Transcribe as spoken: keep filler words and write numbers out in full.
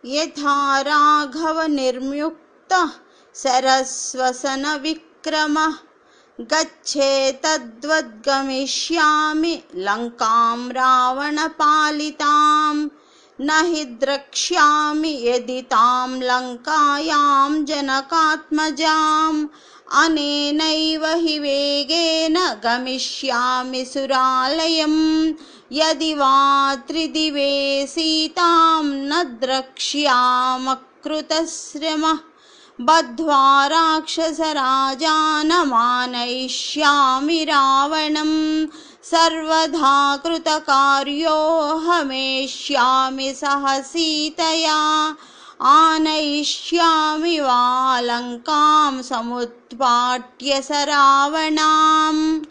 यथा राघवनिर्म्युक्तः सरस्वसनविक्रमः गच्छेतद्वद्गमिष्यामि लङ्कां रावणपालितां न हि द्रक्ष्यामि यदि तां लङ्कायां जनकात्मजाम् अनेनैव हि वेगेन गमिष्यामि सुरालयम् यदि वा त्रिदिवे सीतां न द्रक्ष्यामकृतश्रमः बद्ध्वा राक्षसराजानमानयिष्यामि रावणं सर्वधा कृतकार्योऽहमेष्यामि सह सीतया आनयिष्यामि वा लङ्कां समुत्पाट्य स रावणाम्।